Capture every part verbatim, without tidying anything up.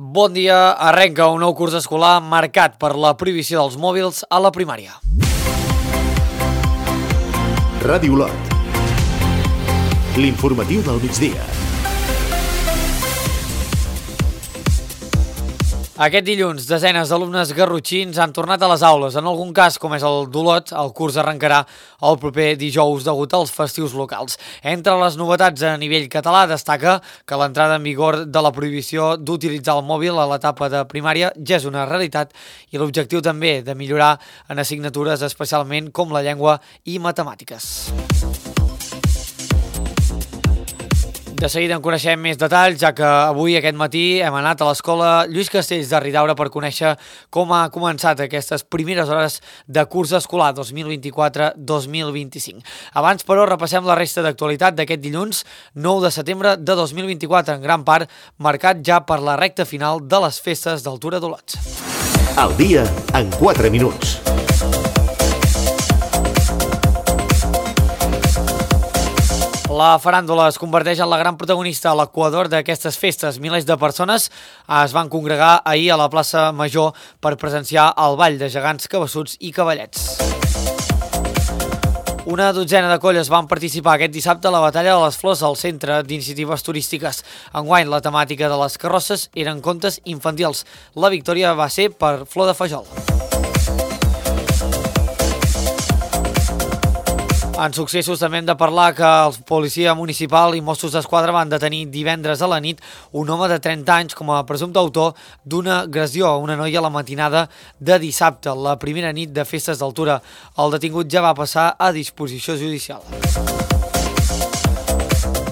Bon dia, arrenca un nou curs escolar marcat per la prohibició dels mòbils a la primària. Ràdio Olot. L'informatiu del migdia. Aquest dilluns, desenes d'alumnes garrotxins han tornat a les aules. En algun cas, com és el d'Olot, el curs arrencarà el proper dijous degut als festius locals. Entre les novetats a nivell català destaca que l'entrada en vigor de la prohibició d'utilitzar el mòbil a l'etapa de primària ja és una realitat i l'objectiu també de millorar en assignatures especialment com la llengua i matemàtiques. De seguida en coneixem més detalls, ja que avui, aquest matí, hem anat a l'escola Lluís Castells de Ridaura per conèixer com ha començat aquestes primeres hores de curs escolar dos mil vint-i-quatre dos mil vint-i-cinc. Abans, però, repassem la resta d'actualitat d'aquest dilluns nou de setembre de dos mil vint-i-quatre, en gran part marcat ja per la recta final de les festes d'Altura d'Olot. El dia en quatre minuts. La faràndula es converteix en la gran protagonista a l'equador d'aquestes festes. Milers de persones es van congregar ahir a la plaça Major per presenciar el ball de gegants, cabassuts i cavallets. Una dotzena de colles van participar aquest dissabte a la Batalla de les Flors al Centre d'Iniciatives Turístiques. Enguany, la temàtica de les carrosses eren contes infantils. La victòria va ser per Flor de Fajol. En successos també hem de parlar que el policia municipal i Mossos d'Esquadra van detenir divendres a la nit un home de trenta anys com a presumpte autor d'una agressió a una noia a la matinada de dissabte, la primera nit de festes d'Altura. El detingut ja va passar a disposició judicial.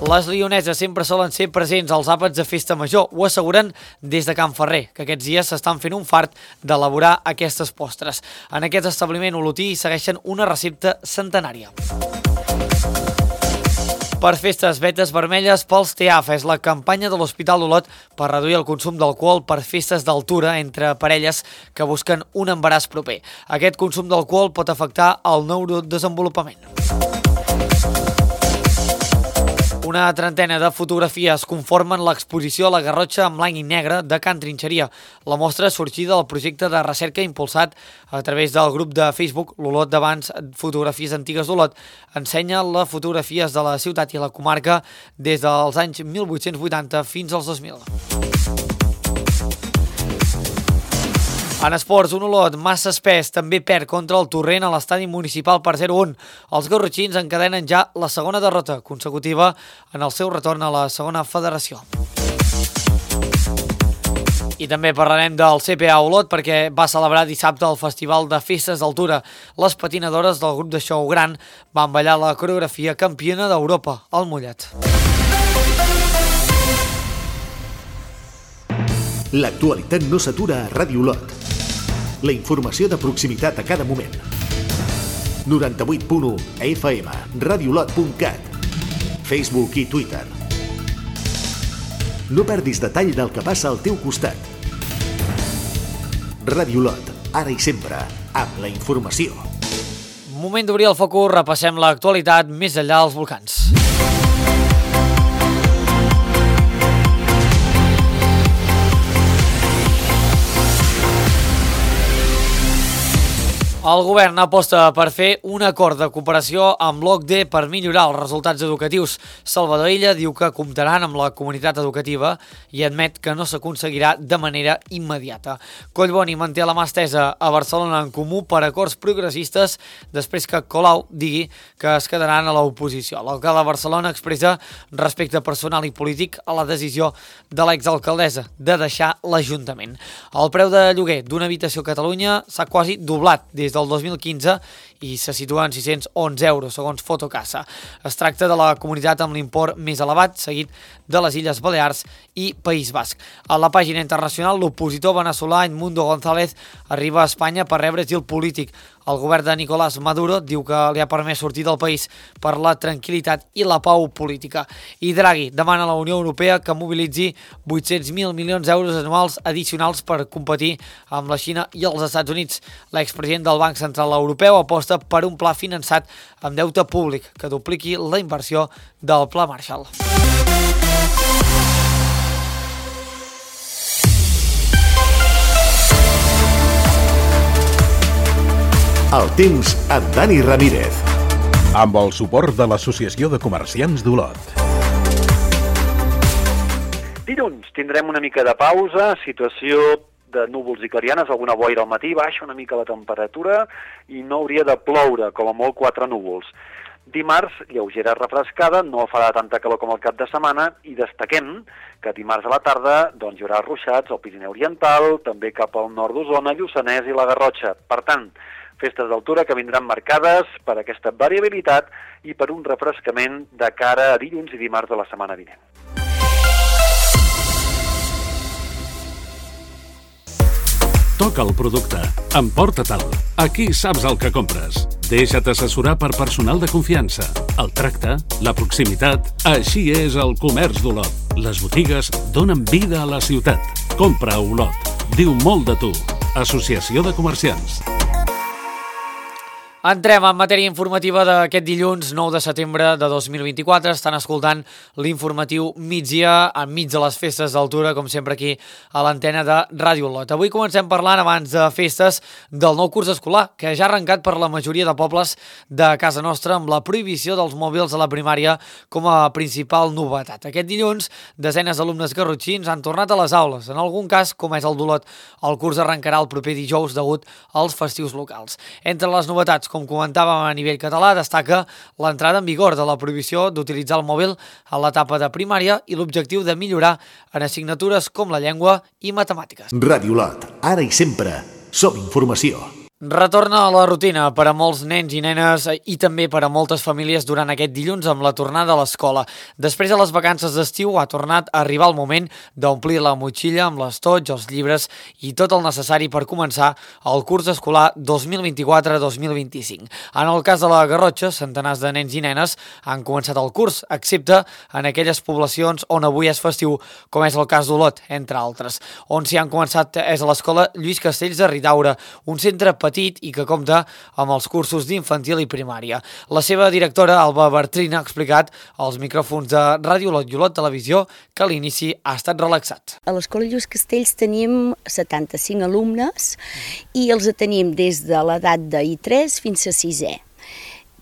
Les lioneses sempre solen ser presents als àpats de festa major, ho asseguren des de Can Ferrer, que aquests dies s'estan fent un fart d'elaborar aquestes postres. En aquest establiment olotí segueixen una recepta centenària. Per festes, vetes vermelles pels T A F és la campanya de l'Hospital d'Olot per reduir el consum d'alcohol per festes d'altura entre parelles que busquen un embaràs proper. Aquest consum d'alcohol pot afectar el neurodesenvolupament. Una trentena de fotografies conformen l'exposició a la Garrotxa en blanc i negre de Can Trinxeria. La mostra sorgida del projecte de recerca impulsat a través del grup de Facebook l'Olot d'abans Fotografies Antigues d'Olot ensenya les fotografies de la ciutat i la comarca des dels anys mil vuit-cents vuitanta fins als dos mil. En esports, un Olot massa espès també perd contra el Torrent a l'estadi municipal per zero a un. Els garrotxins encadenen ja la segona derrota consecutiva en el seu retorn a la segona federació. I també parlarem del C P A Olot perquè va celebrar dissabte el Festival de Festes d'Altura. Les patinadores del grup de show gran van ballar la coreografia campiona d'Europa, el Mollet. L'actualitat no s'atura a Ràdio Olot. La informació de proximitat a cada moment. noranta-vuit punt u F M, radiolot punt cat, Facebook i Twitter. No perdis detall del que passa al teu costat. Ràdio Olot, ara i sempre, amb la informació. Moment d'obrir el focus, repassem l'actualitat més enllà dels volcans. El govern aposta per fer un acord de cooperació amb l'O C D E per millorar els resultats educatius. Salvador Illa diu que comptaran amb la comunitat educativa i admet que no s'aconseguirà de manera immediata. Collboni manté la mà estesa a Barcelona en Comú per acords progressistes després que Colau digui que es quedaran a l'oposició. L'alcalde de Barcelona expressa respecte personal i polític a la decisió de l'exalcaldessa de deixar l'Ajuntament. El preu de lloguer d'una habitació a Catalunya s'ha quasi doblat des del dos mil quinze i se situa en sis-cents onze euros, segons Fotocasa. Es tracta de la comunitat amb l'import més elevat, seguit de les Illes Balears i País Basc. A la pàgina internacional, l'opositor veneçolà Edmundo González arriba a Espanya per rebre asil polític. El govern de Nicolás Maduro diu que li ha permès sortir del país per la tranquil·litat i la pau política. I Draghi demana a la Unió Europea que mobilitzi vuit-cents mil milions d'euros anuals addicionals per competir amb la Xina i els Estats Units. L'expresident del Banc Central Europeu aposta per un pla finançat amb deute públic que dupliqui la inversió del Pla Marshall. El temps amb Dani Ramírez. Amb el suport de l'Associació de Comerciants d'Olot. Dilluns tindrem una mica de pausa, situació de núvols i clarianes, alguna boira al matí, baixa una mica la temperatura i no hauria de ploure, com a molt quatre núvols. Dimarts, lleugera refrescada, no farà tanta calor com el cap de setmana i destaquem que dimarts a la tarda doncs, hi haurà ruixats al Pirineu Oriental, també cap al nord d'Osona, Lluçanès i la Garrotxa. Per tant, festes d'altura que vindran marcades per aquesta variabilitat i per un refrescament de cara a dilluns i dimarts de la setmana vinent. Toca el producte. Emporta-te'l. Aquí saps el que compres. Deixa't assessorar per personal de confiança. El tracte, la proximitat... Així és el comerç d'Olot. Les botigues donen vida a la ciutat. Compra a Olot. Diu molt de tu. Associació de Comerciants. Entrem en matèria informativa d'aquest dilluns nou de setembre de dos mil vint-i-quatre. Estan escoltant l'informatiu migdia enmig de les festes d'altura, com sempre aquí a l'antena de Ràdio Olot. Avui comencem parlant, abans de festes, del nou curs escolar, que ja ha arrencat per la majoria de pobles de casa nostra amb la prohibició dels mòbils a la primària com a principal novetat. Aquest dilluns, desenes d'alumnes garrotxins han tornat a les aules. En algun cas, com és el d'Olot, el curs arrencarà el proper dijous degut als festius locals. Entre les novetats, com comentàvem a nivell català, destaca l'entrada en vigor de la prohibició d'utilitzar el mòbil a l'etapa de primària i l'objectiu de millorar en assignatures com la llengua i matemàtiques. Ràdio Olot, ara i sempre, som informació. Retorna a la rutina per a molts nens i nenes i també per a moltes famílies durant aquest dilluns amb la tornada a l'escola. Després de les vacances d'estiu ha tornat a arribar el moment d'omplir la motxilla amb l'estoig, els llibres i tot el necessari per començar el curs escolar dos mil vint-i-quatre dos mil vint-i-cinc. En el cas de la Garrotxa, centenars de nens i nenes han començat el curs, excepte en aquelles poblacions on avui és festiu, com és el cas d'Olot, entre altres. On s'hi han començat és a l'escola Lluís Castells de Ridaura, un centre petit i que compta amb els cursos d'infantil i primària. La seva directora, Alba Bertrin, ha explicat als micròfons de Ràdio Olot i Olot Televisió que l'inici ha estat relaxat. A l'Escola Lluís Castells tenim setanta-cinc alumnes i els tenim des de l'edat de I tres fins a sisè.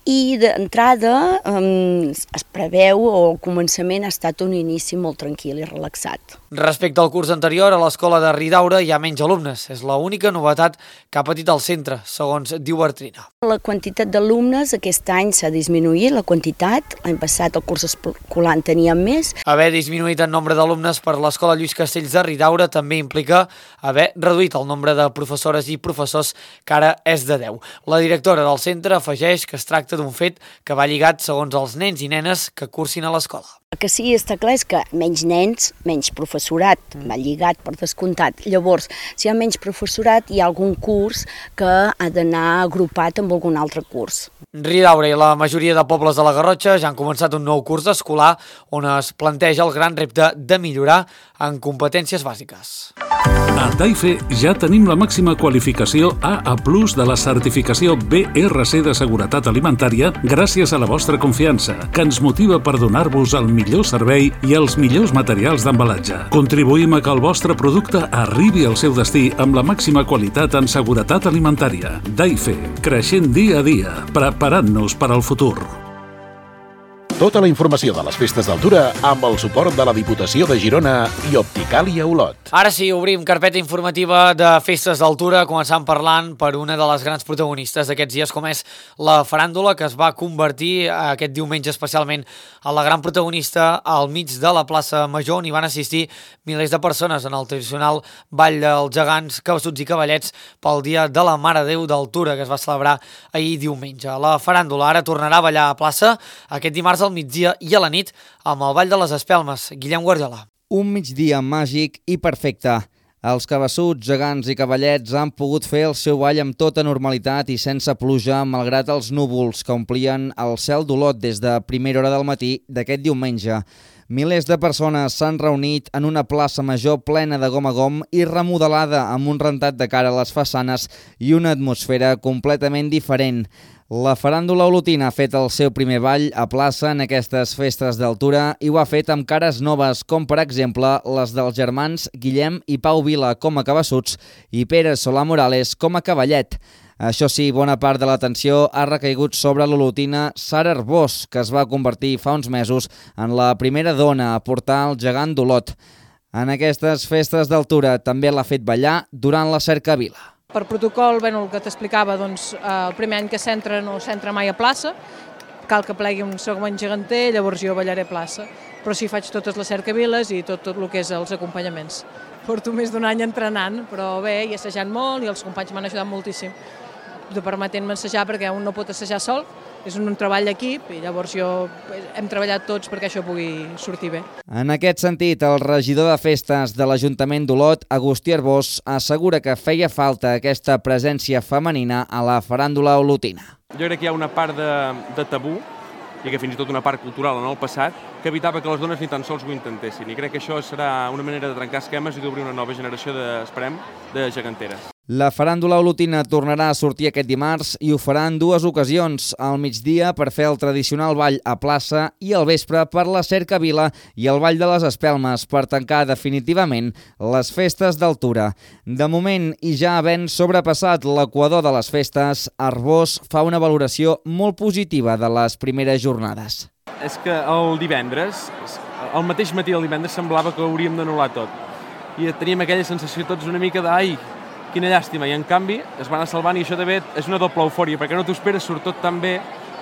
I d'entrada um, es preveu, o al començament ha estat un inici molt tranquil i relaxat. Respecte al curs anterior, a l'escola de Ridaura hi ha menys alumnes. És l'única novetat que ha patit el centre, segons diu Bertrina. La quantitat d'alumnes aquest any s'ha disminuït, la quantitat. L'any passat el curs escolar en teníem més. Haver disminuït el nombre d'alumnes per l'escola Lluís Castells de Ridaura també implica haver reduït el nombre de professores i professors, que ara és de deu. La directora del centre afegeix que es tracta d'un fet que va lligat segons els nens i nenes que cursin a l'escola. El que sí està clar és que menys nens, menys professorat, va lligat per descomptat. Llavors, si hi ha menys professorat, hi ha algun curs que ha d'anar agrupat amb algun altre curs. Ridaura i la majoria de pobles de la Garrotxa ja han començat un nou curs escolar on es planteja el gran repte de millorar en competències bàsiques. A Taife ja tenim la màxima qualificació A A plus de la certificació B R C de Seguretat Alimentària gràcies a la vostra confiança, que ens motiva per donar-vos el millor servei i els millors materials d'embalatge. Contribuïm a que el vostre producte arribi al seu destí amb la màxima qualitat en seguretat alimentària. Taife, creixent dia a dia, preparant-nos per al futur. Tota la informació de les festes d'altura amb el suport de la Diputació de Girona i Opticàlia Olot. Ara sí, obrim carpeta informativa de festes d'altura, començant parlant per una de les grans protagonistes d'aquests dies, com és la faràndula, que es va convertir aquest diumenge especialment en la gran protagonista al mig de la plaça Major, on hi van assistir milers de persones en el tradicional Ball dels Gegants, Cabeçuts i Cavallets pel Dia de la Mare de Déu d'Altura, que es va celebrar ahir diumenge. La faràndula ara tornarà a ballar a plaça aquest dimarts al migdia i a la nit amb el Ball de les Espelmes. Guillem Guardiola. Un migdia màgic i perfecte. Els cabeçuts, gegants i cavallets han pogut fer el seu ball amb tota normalitat i sense pluja, malgrat els núvols que omplien el cel d'Olot des de primera hora del matí d'aquest diumenge. Milers de persones s'han reunit en una plaça major plena de gom a gom i remodelada amb un rentat de cara a les façanes i una atmosfera completament diferent. La faràndula olotina ha fet el seu primer ball a plaça en aquestes festes d'altura i ho ha fet amb cares noves, com per exemple les dels germans Guillem i Pau Vila com a cabeçuts i Pere Solà Morales com a cavallet. Això sí, bona part de l'atenció ha recaigut sobre l'olotina Sara Arbós, que es va convertir fa uns mesos en la primera dona a portar el gegant d'Olot. En aquestes festes d'altura també l'ha fet ballar durant la cercavila. Per protocol, bueno, el que t'explicava, doncs, el primer any que s'entra no s'entra mai a plaça, cal que plegui un segon geganter, llavors jo ballaré a plaça. Però sí, faig totes les cercaviles i tot, tot el que és els acompanyaments. Porto més d'un any entrenant, però bé, i assajant molt, i els companys m'han ajudat moltíssim, de permetent-me assajar, perquè un no pot assajar sol, és un treball d'equip, i llavors jo hem treballat tots perquè això pugui sortir bé. En aquest sentit, el regidor de festes de l'Ajuntament d'Olot, Agustí Arbós, assegura que feia falta aquesta presència femenina a la faràndula olotina. Jo crec que hi ha una part de, de tabú, i que fins i tot una part cultural en el passat, que evitava que les dones ni tan sols ho intentessin. I crec que això serà una manera de trencar esquemes i d'obrir una nova generació, de, esperem, de geganteres. La faràndula olotina tornarà a sortir aquest dimarts i ho farà en dues ocasions, al migdia per fer el tradicional ball a plaça i al vespre per la cercavila i el ball de les espelmes per tancar definitivament les festes d'altura. De moment, i ja havent sobrepassat l'equador de les festes, Arbós fa una valoració molt positiva de les primeres jornades. És que el divendres, el mateix matí del divendres, semblava que hauríem d'anul·lar tot. I teníem aquella sensació tots una mica de ai, quina llàstima, i en canvi es van salvant, i això també és una doble eufòria, perquè no t'ho esperes, surt tot tan bé,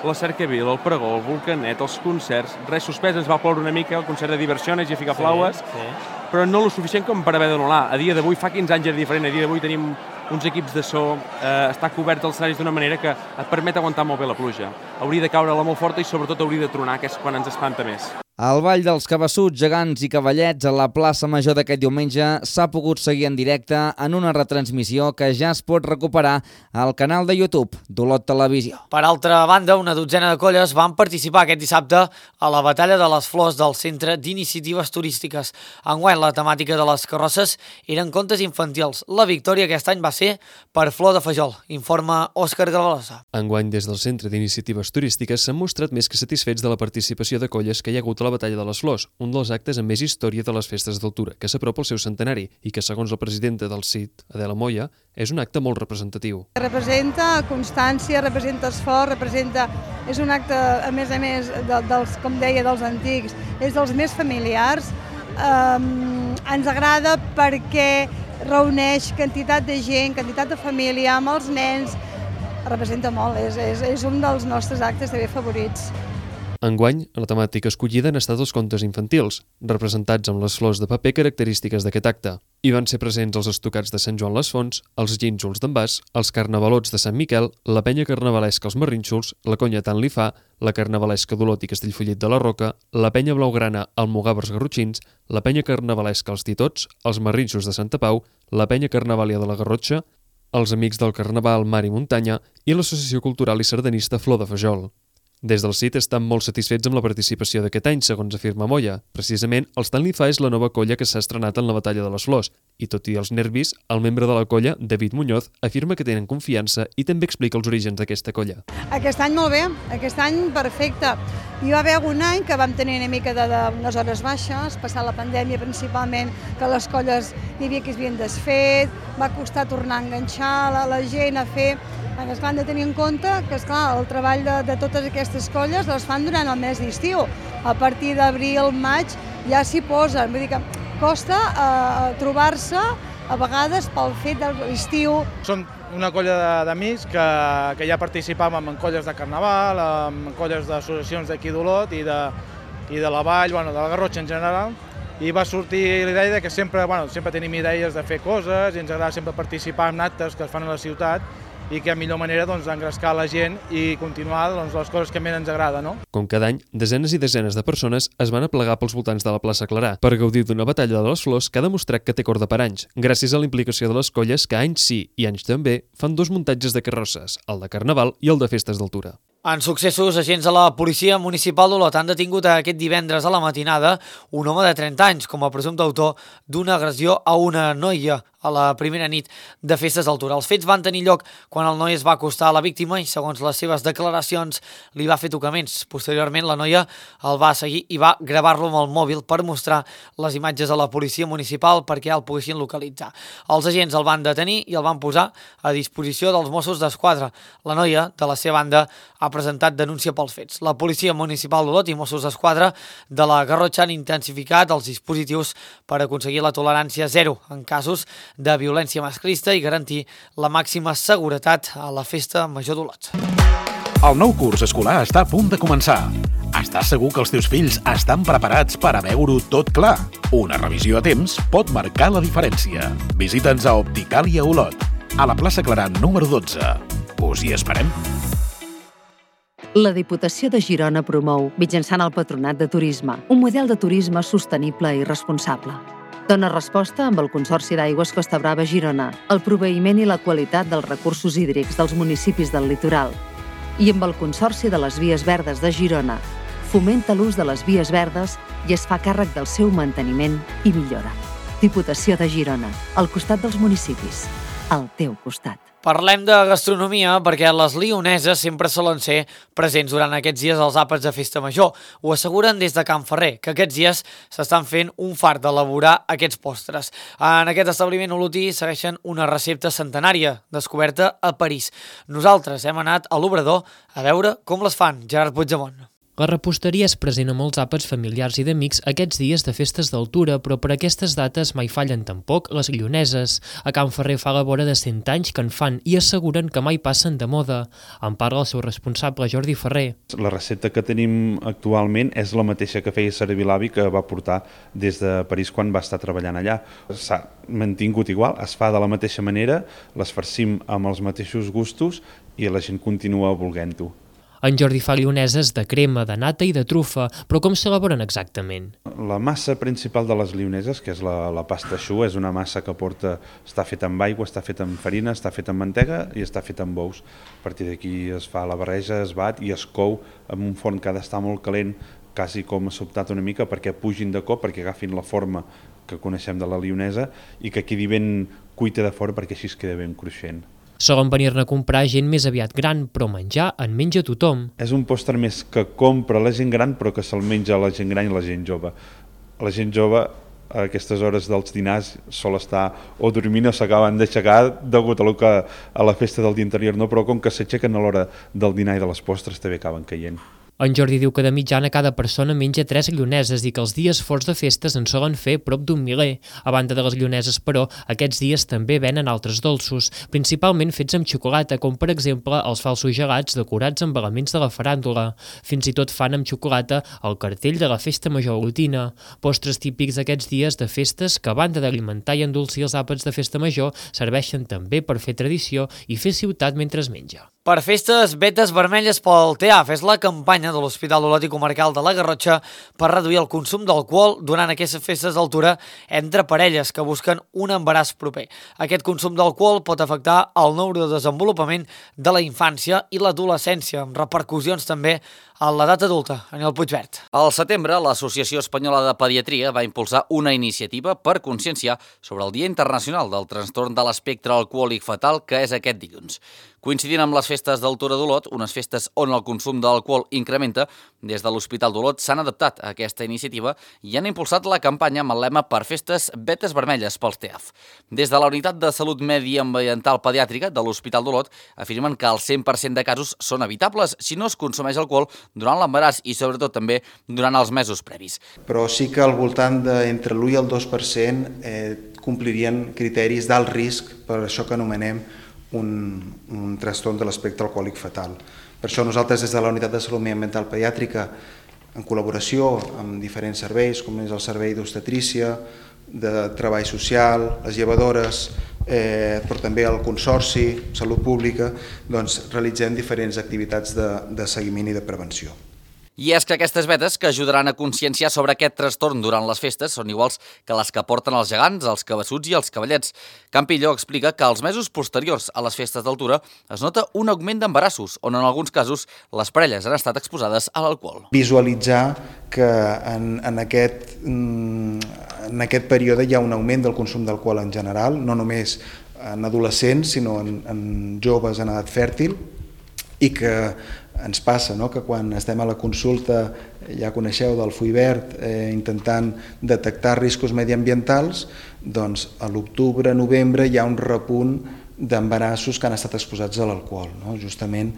la cercavila, el pregó, el volcanet, els concerts, res suspès, ens va ploure una mica, el concert de Diversiones i a ficar flaues, sí, sí. Però no lo suficient com per haver d'anul·lar. A dia d'avui, fa quinze anys era diferent, a dia d'avui tenim uns equips de so, eh, està cobert els escenaris d'una manera que et permet aguantar molt bé la pluja. Hauria de caure-la molt forta i sobretot hauria de tronar, que és quan ens espanta més. El ball dels cabassuts, gegants i cavallets a la plaça Major d'aquest diumenge s'ha pogut seguir en directe en una retransmissió que ja es pot recuperar al canal de YouTube d'Olot Televisió. Per altra banda, una dotzena de colles van participar aquest dissabte a la Batalla de les Flors del Centre d'Iniciatives Turístiques. Enguany, la temàtica de les carrosses eren contes infantils. La victòria aquest any va ser per Flor de Fajol, informa Òscar Gavalosa. Enguany, des del Centre d'Iniciatives Turístiques s'han mostrat més que satisfets de la participació de colles que hi ha hagut a la Batalla de les Flors, un dels actes amb més història de les festes d'altura, que s'apropa al seu centenari i que, segons la presidenta del C I T, Adela Moya, és un acte molt representatiu. Representa constància, representa esforç, representa... és un acte, a més a més, de, dels, com deia, dels antics, és dels més familiars. Um, ens agrada perquè reuneix quantitat de gent, quantitat de família, amb els nens, representa molt, és, és, és un dels nostres actes també favorits. Enguany, la temàtica escollida han estat els contes infantils, representats amb les flors de paper característiques d'aquest acte. Hi van ser presents els estocats de Sant Joan les Fonts, els gínjols d'en Bas, els carnavalots de Sant Miquel, la penya carnavalesca els Marrínxols, la conya Tant li fa, la carnavalesca d'Olot i Castellfollit de la Roca, la penya blaugrana Almogàvers Garrotxins, la penya carnavalesca els Titots, els Marrínxols de Santa Pau, la penya carnavàlia de la Garrotxa, els Amics del Carnaval Mar i Muntanya i l'Associació Cultural i Sardanista Flor de Fajol. Des del C I T estan molt satisfets amb la participació d'aquest any, segons afirma Moya. Precisament, els Tant li fa és la nova colla que s'ha estrenat en la Batalla de les Flors. I tot i els nervis, el membre de la colla, David Muñoz, afirma que tenen confiança i també explica els orígens d'aquesta colla. Aquest any molt bé, aquest any perfecte. Hi va haver algun any que vam tenir una mica d'unes hores baixes, passar la pandèmia principalment, que les colles hi havia que es havien desfet, va costar tornar a enganxar la, la gent a fer... Es van de tenir en compte que, esclar, el treball de, de totes aquestes colles les fan durant el mes d'estiu. A partir d'abril, maig, ja s'hi posen. Vull dir que costa eh, trobar-se a vegades pel fet de l'estiu. Som una colla d'amics que, que ja participàvem en colles de carnaval, en colles d'associacions d'aquí d'Olot i, de, i de la Vall, bueno, de la Garrotxa en general, i va sortir l'idea que sempre, bueno, sempre tenim idees de fer coses i ens agrada sempre participar en actes que es fan a la ciutat i que a millor manera doncs, engrescar la gent i continuar doncs, les coses que més ens agrada. No? Com cada any, desenes i desenes de persones es van aplegar pels voltants de la plaça Clarà per gaudir d'una batalla de les flors que ha demostrat que té corda per anys, gràcies a la implicació de les colles que anys sí i anys també fan dos muntatges de carrosses, el de Carnaval i el de festes d'altura. En successos, agents de la Policia Municipal d'Olot han detingut aquest divendres a la matinada un home de trenta anys com a presumpte autor d'una agressió a una noia a la primera nit de festes d'altura. Els fets van tenir lloc quan el noi es va acostar a la víctima i, segons les seves declaracions, li va fer tocaments. Posteriorment, la noia el va seguir i va gravar-lo amb el mòbil per mostrar les imatges a la policia municipal perquè el poguessin localitzar. Els agents el van detenir i el van posar a disposició dels Mossos d'Esquadra. La noia, de la seva banda, ha presentat denúncia pels fets. La policia municipal d'Olot i Mossos d'Esquadra de la Garrotxa han intensificat els dispositius per aconseguir la tolerància zero en casos de violència masclista i garantir la màxima seguretat a la Festa Major d'Olot. El nou curs escolar està a punt de començar. Estàs segur que els teus fills estan preparats per a veure-ho tot clar? Una revisió a temps pot marcar la diferència. Visita'ns a Opticàlia Olot, a la plaça Clarà número dotze. Us hi esperem. La Diputació de Girona promou, mitjançant el Patronat de Turisme, un model de turisme sostenible i responsable. Dona resposta amb el Consorci d'Aigües Costa Brava Girona, el proveïment i la qualitat dels recursos hídrics dels municipis del litoral, i amb el Consorci de les Vies Verdes de Girona, fomenta l'ús de les vies verdes i es fa càrrec del seu manteniment i millora. Diputació de Girona, al costat dels municipis, al teu costat. Parlem de gastronomia perquè les lioneses sempre solen ser presents durant aquests dies als àpats de Festa Major. Ho asseguren des de Can Ferrer, que aquests dies s'estan fent un fart d'elaborar aquests postres. En aquest establiment olotí segueixen una recepta centenària, descoberta a París. Nosaltres hem anat a l'Obrador a veure com les fan. Gerard Puigdemont. La reposteria és present a molts àpats familiars i d'amics aquests dies de festes d'altura, però per aquestes dates mai fallen tampoc les lioneses. A Can Ferrer fa la vora de cent anys que en fan i asseguren que mai passen de moda. En parla el seu responsable, Jordi Ferrer. La recepta que tenim actualment és la mateixa que feia servir l'avi, que va portar des de París quan va estar treballant allà. S'ha mantingut igual, es fa de la mateixa manera, les farcim amb els mateixos gustos i la gent continua volent-ho. En Jordi fa lioneses de crema, de nata i de trufa, però com s'elaboren exactament? La massa principal de les lioneses, que és la, la pasta xou, és una massa que porta, està feta amb aigua, està feta amb farina, està feta amb mantega i està feta amb ous. A partir d'aquí es fa la barreja, es bat i es cou en un forn que ha d'estar molt calent, quasi com sobtat una mica perquè pugin de cop, perquè agafin la forma que coneixem de la lionesa i que quedi ben cuita de fora perquè així es queda ben cruixent. Solen venir-ne a comprar gent més aviat gran, però menjar en menja tothom. És un postre més que compra la gent gran, però que se'l menja la gent gran i la gent jove. La gent jove, a aquestes hores dels dinars, sol estar o dormint o s'acaben d'aixecar degut a, lo que, a la festa del dia anterior, no? Però com que s'aixequen a l'hora del dinar i de les postres, també acaben caient. En Jordi diu que de mitjana cada persona menja tres lioneses i que els dies forts de festes en solen fer prop d'un miler. A banda de les lioneses, però, aquests dies també venen altres dolços, principalment fets amb xocolata, com per exemple els falsos gelats decorats amb elements de la faràndula. Fins i tot fan amb xocolata el cartell de la Festa Major olotina. Postres típics d'aquests dies de festes que, a banda d'alimentar i endolcir els àpats de Festa Major, serveixen també per fer tradició i fer ciutat mentre es menja. Per festes, vetes vermelles pel T E A F és la campanya de l'Hospital d'Olot i Comarcal de la Garrotxa per reduir el consum d'alcohol durant aquestes festes d'altura entre parelles que busquen un embaràs proper. Aquest consum d'alcohol pot afectar el neurodesenvolupament de la infància i l'adolescència, amb repercussions també a l'edat adulta. Aniol Puigvert. Al setembre, l'Associació Espanyola de Pediatria va impulsar una iniciativa per conscienciar sobre el Dia Internacional del Trastorn de l'Espectre Alcohòlic Fatal, que és aquest dilluns. Coincidint amb les festes d'altura d'Olot, unes festes on el consum d'alcohol incrementa, des de l'Hospital d'Olot s'han adaptat a aquesta iniciativa i han impulsat la campanya amb el lema Per festes, vetes vermelles pels T E A F. Des de la Unitat de Salut Mediambiental Pediàtrica de l'Hospital d'Olot afirmen que el cent per cent de casos són evitables si no es consumeix alcohol durant l'embaràs i sobretot també durant els mesos previs. Però sí que al voltant d'entre l'u i el dos per cent eh, complirien criteris d'alt risc per això que anomenem un, un trastorn de l'espectre alcohòlic fatal. Per això nosaltres des de la Unitat de Salut Mediambiental Pediàtrica, en col·laboració amb diferents serveis, com és el servei d'obstetrícia, de treball social, les llevadores, eh, però també el Consorci, Salut Pública, doncs realitzem diferents activitats de, de seguiment i de prevenció. I és que aquestes vetes que ajudaran a conscienciar sobre aquest trastorn durant les festes són iguals que les que porten els gegants, els cabassuts i els cavallets. Campillo explica que als mesos posteriors a les festes d'altura es nota un augment d'embarassos, on en alguns casos les parelles han estat exposades a l'alcohol. Visualitzar que en, en, aquest, en aquest període hi ha un augment del consum d'alcohol en general, no només en adolescents, sinó en, en joves en edat fèrtil, i que ens passa, no?, que quan estem a la consulta, ja coneixeu del Fuivert, eh, intentant detectar riscos mediambientals, doncs a l'octubre, novembre hi ha un repunt d'embarassos que han estat exposats a l'alcohol, no?, justament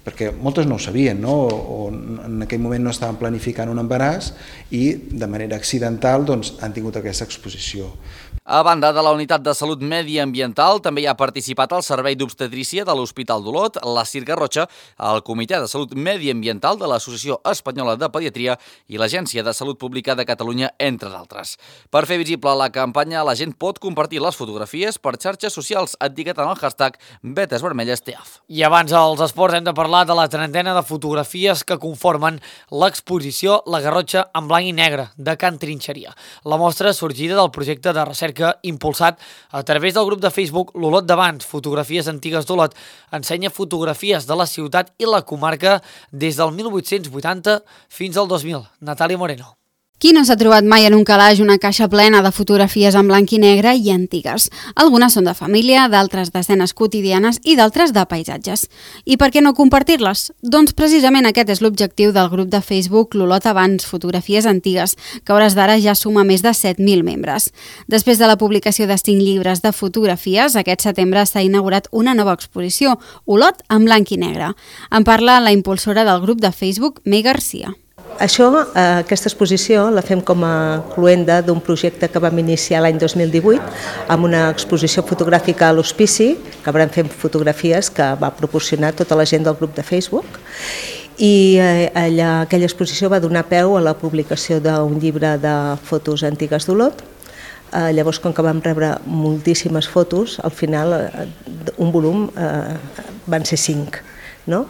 perquè moltes no ho sabien, no?, o en aquell moment no estaven planificant un embaràs i de manera accidental doncs, han tingut aquesta exposició. A banda de la Unitat de Salut Mediambiental, també hi ha participat el Servei d'Obstetrícia de l'Hospital d'Olot, la C I R Garrotxa, el Comitè de Salut Mediambiental de l'Associació Espanyola de Pediatria i l'Agència de Salut Pública de Catalunya, entre d'altres. Per fer visible la campanya, la gent pot compartir les fotografies per xarxes socials etiquetant el hashtag Vetes Vermelles T A F. I abans als esports hem de parlar de la trentena de fotografies que conformen l'exposició La Garrotxa en blanc i negre de Can Trinxeria. La mostra sorgida del projecte de recerca impulsat a través del grup de Facebook L'Olot d'abans, fotografies antigues d'Olot, ensenya fotografies de la ciutat i la comarca des del mil vuit-cents vuitanta fins al dos mil. Natàlia Moreno. Qui no s'ha trobat mai en un calaix una caixa plena de fotografies en blanc i negre i antigues? Algunes són de família, d'altres d'escenes quotidianes i d'altres de paisatges. I per què no compartir-les? Doncs precisament aquest és l'objectiu del grup de Facebook L'Olot abans, fotografies antigues, que a hores d'ara ja suma més de set mil membres. Després de la publicació de cinc llibres de fotografies, aquest setembre s'ha inaugurat una nova exposició, Olot en blanc i negre. En parla la impulsora del grup de Facebook, May Garcia. Això, aquesta exposició la fem com a cluenda d'un projecte que vam iniciar l'any dos mil divuit amb una exposició fotogràfica a l'Hospici, que vam fer fotografies que va proporcionar tota la gent del grup de Facebook, i allà, aquella exposició va donar peu a la publicació d'un llibre de fotos antigues d'Olot. Eh, llavors, com que vam rebre moltíssimes fotos, al final un volum eh, van ser cinc, no?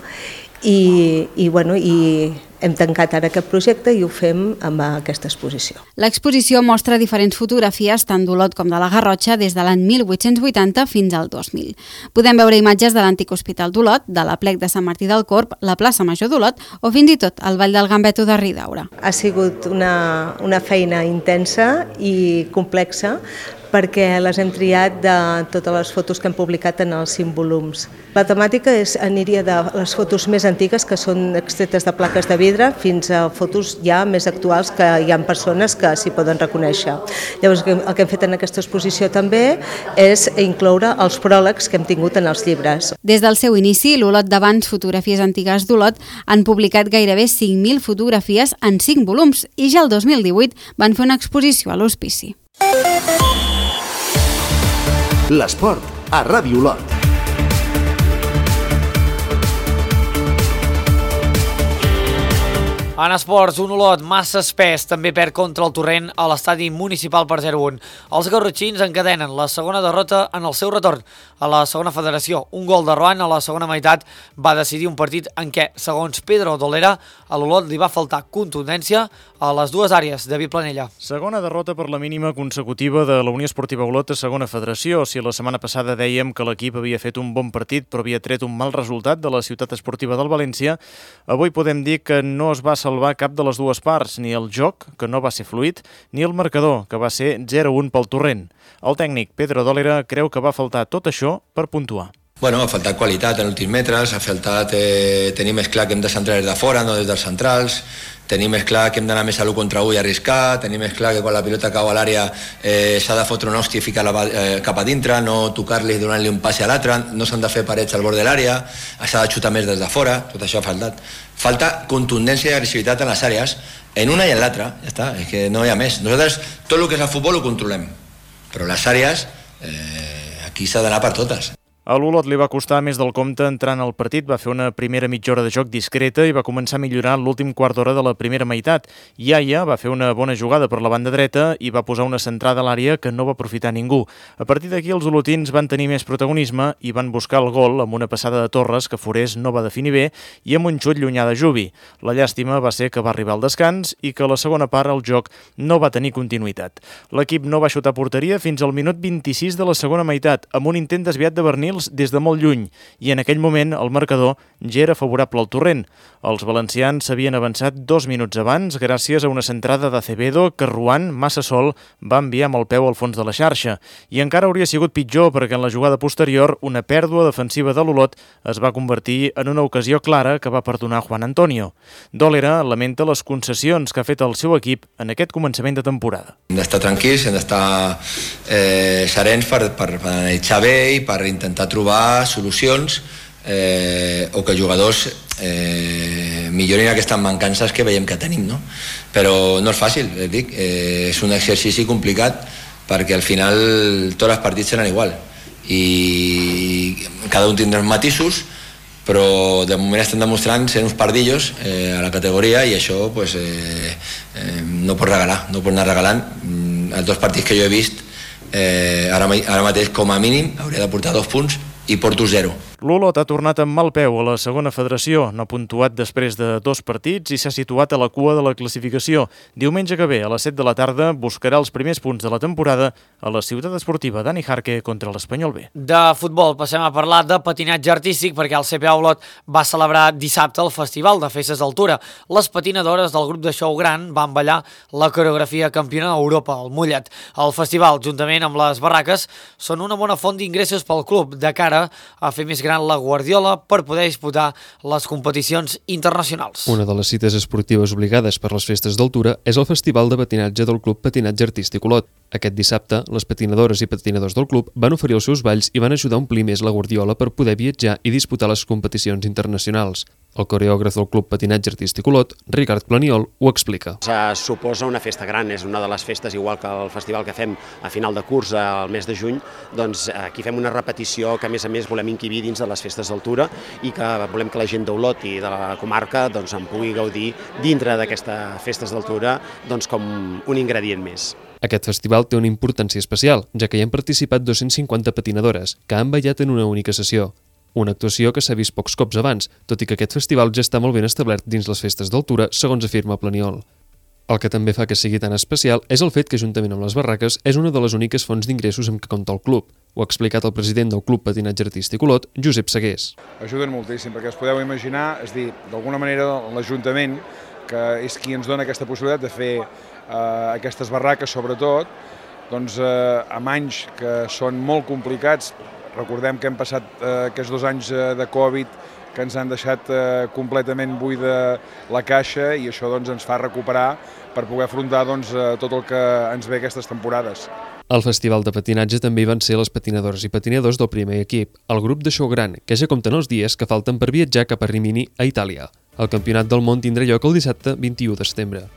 I, i, bueno, i hem tancat ara aquest projecte i ho fem amb aquesta exposició. L'exposició mostra diferents fotografies tant d'Olot com de la Garrotxa des de l'any mil vuit-cents vuitanta fins al dos mil. Podem veure imatges de l'antic hospital d'Olot, de l'Aplec de Sant Martí del Corb, la plaça Major d'Olot o fins i tot el Vall del Gambeto de Ridaura. Ha sigut una, una feina intensa i complexa perquè les hem triat de totes les fotos que hem publicat en els cinc volums. La temàtica és, aniria de les fotos més antigues, que són extretes de plaques de vidre, fins a fotos ja més actuals que hi ha persones que s'hi poden reconèixer. Llavors, el que hem fet en aquesta exposició també és incloure els pròlegs que hem tingut en els llibres. Des del seu inici, l'Olot d'abans, fotografies antigues d'Olot, han publicat gairebé cinc mil fotografies en cinc volums i ja el dos mil divuit van fer una exposició a l'Hospici. L'esport a Ràdio Olot. En esports, un Olot massa espès també perd contra el Torrent a l'estadi municipal per zero a un. Els garrotxins encadenen la segona derrota en el seu retorn a la segona federació. Un gol de Roan a la segona meitat va decidir un partit en què, segons Pedro Dolera, a l'Olot li va faltar contundència a les dues àrees. David Planella. Segona derrota per la mínima consecutiva de la Unió Esportiva Olot a segona federació. Si la setmana passada dèiem que l'equip havia fet un bon partit però havia tret un mal resultat de la ciutat esportiva del València, avui podem dir que no es va salvar cap de les dues parts, ni el joc, que no va ser fluid, ni el marcador, que va ser zero a un pel Torrent. El tècnic Pedro Dolera creu que va faltar tot això per puntuar. Bueno, ha faltat qualitat en últims metres, ha faltat eh, tenir més clar que hem de centrar des de fora, no des dels centrals, tenir més clar que hem d'anar més a l'u contra u i arriscar, tenir més clar que quan la pilota cau a l'àrea eh, s'ha de fotre un hòstia i ficar-la eh, cap a dintre, no tocar-li i donar-li un passi a l'altre, no s'han de fer parets al bord de l'àrea, s'ha de xutar més des de fora, tot això ha faltat. Falta contundència i agressivitat en les àrees, en una i en l'altra, ja està, és que no hi ha més. Nosaltres tot el que és el futbol ho controlem, però les àrees eh, aquí s'ha d'anar per totes. A l'Olot li va costar més del compte entrant al partit, va fer una primera mitja hora de joc discreta i va començar a millorar l'últim quart d'hora de la primera meitat. Iaia va fer una bona jugada per la banda dreta i va posar una centrada a l'àrea que no va aprofitar ningú. A partir d'aquí els olotins van tenir més protagonisme i van buscar el gol amb una passada de Torres que Forés no va definir bé i amb un xut llunyà de Jubi. La llàstima va ser que va arribar al descans i que a la segona part el joc no va tenir continuïtat. L'equip no va xutar porteria fins al minut vint-i-sis de la segona meitat, amb un intent desviat de Bernils des de molt lluny, i en aquell moment el marcador ja era favorable al Torrent. Els valencians s'havien avançat dos minuts abans gràcies a una centrada d'Acevedo que Ruan, massa sol, va enviar amb el peu al fons de la xarxa. I encara hauria sigut pitjor perquè en la jugada posterior una pèrdua defensiva de l'Olot es va convertir en una ocasió clara que va perdonar Juan Antonio. Dòlera lamenta les concessions que ha fet el seu equip en aquest començament de temporada. Hem d'estar tranquils, hem d'estar eh, serens per, per, per analitzar bé i per intentar trobar solucions eh, o que els jugadors eh, millorin aquestes mancances que veiem que tenim, no? Però no és fàcil, eh, dic, eh, és un exercici complicat perquè al final tots els partits seran igual i cada un tindrà matisos, però de moment estem demostrant ser uns pardillos eh, a la categoria i això pues, eh, eh, no pot regalar, no pot anar regalant. Els dos partits que jo he vist eh, ara, ara mateix com a mínim hauria de portar dos punts i porto zero. L'Olot ha tornat amb mal peu a la segona federació, no ha puntuat després de dos partits i s'ha situat a la cua de la classificació. Diumenge que ve, a les set de la tarda, buscarà els primers punts de la temporada a la ciutat esportiva Dani Jarque contra l'Espanyol B. De futbol passem a parlar de patinatge artístic perquè el C P A Olot va celebrar dissabte el Festival de Festes d'Altura. Les patinadores del grup de show gran van ballar la coreografia campiona d'Europa, el Mullet. El festival, juntament amb les barraques, són una bona font d'ingressos pel club de cara a fer més gran la Guardiola per poder disputar les competicions internacionals. Una de les cites esportives obligades per les festes d'altura és el Festival de Patinatge del Club Patinatge Artístic Olot. Aquest dissabte, les patinadores i patinadors del club van oferir els seus balls i van ajudar a omplir més la Guardiola per poder viatjar i disputar les competicions internacionals. El coreògraf del Club Patinatge Artístic Olot, Ricard Planiol, ho explica. Se suposa una festa gran, és una de les festes, igual que el festival que fem a final de curs al mes de juny, doncs aquí fem una repetició que a més a més volem inquibir dins de les festes d'altura i que volem que la gent d'Olot i de la comarca doncs, en pugui gaudir dintre d'aquestes festes d'altura doncs, com un ingredient més. Aquest festival té una importància especial, ja que hi han participat dos-cents cinquanta patinadores, que han ballat en una única sessió. Una actuació que s'ha vist pocs cops abans, tot i que aquest festival ja està molt ben establert dins les festes d'altura, segons afirma Planiol. El que també fa que sigui tan especial és el fet que, juntament amb les barraques, és una de les úniques fonts d'ingressos amb què compta el club. Ho ha explicat el president del Club Patinatge Artístic Olot, Josep Segués. Ajuden moltíssim, perquè us podeu imaginar, és dir, d'alguna manera l'Ajuntament, que és qui ens dona aquesta possibilitat de fer eh, aquestes barraques, sobretot, doncs eh, amb anys que són molt complicats. Recordem que hem passat eh, aquests dos anys eh, de Covid que ens han deixat eh, completament buida la caixa i això doncs, ens fa recuperar per poder afrontar doncs, eh, tot el que ens ve aquestes temporades. Al Festival de Patinatge també hi van ser les patinadores i patinadors del primer equip, el grup de show gran, que ja compten els dies que falten per viatjar cap a Rimini, a Itàlia. El Campionat del Món tindrà lloc el dissabte vint-i-u de setembre.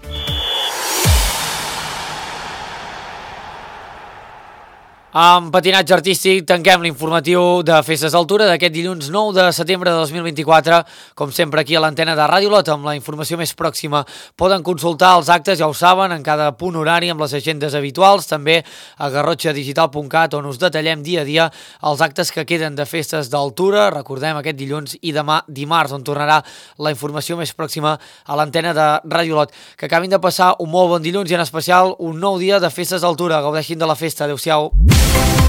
Amb patinatge artístic tanquem l'informatiu de Festes d'Altura d'aquest dilluns nou de setembre de dos mil vint-i-quatre. Com sempre aquí a l'antena de Ràdio Olot amb la informació més pròxima. Poden consultar els actes, ja ho saben, en cada punt horari amb les agendes habituals, també a garrotxa digital punt cat on us detallem dia a dia els actes que queden de Festes d'Altura. Recordem aquest dilluns i demà dimarts on tornarà la informació més pròxima a l'antena de Ràdio Olot. Que acabin de passar un molt bon dilluns i en especial un nou dia de Festes d'Altura. Gaudeixin de la festa. Adéu-siau.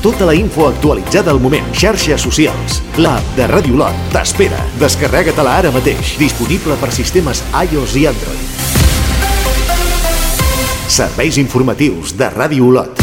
Tota la info actualitzada al moment. Xarxes socials. L'app de Ràdio Olot t'espera. Descarrega-te-la ara mateix. Disponible per sistemes iOS i Android. Serveis informatius de Ràdio Olot.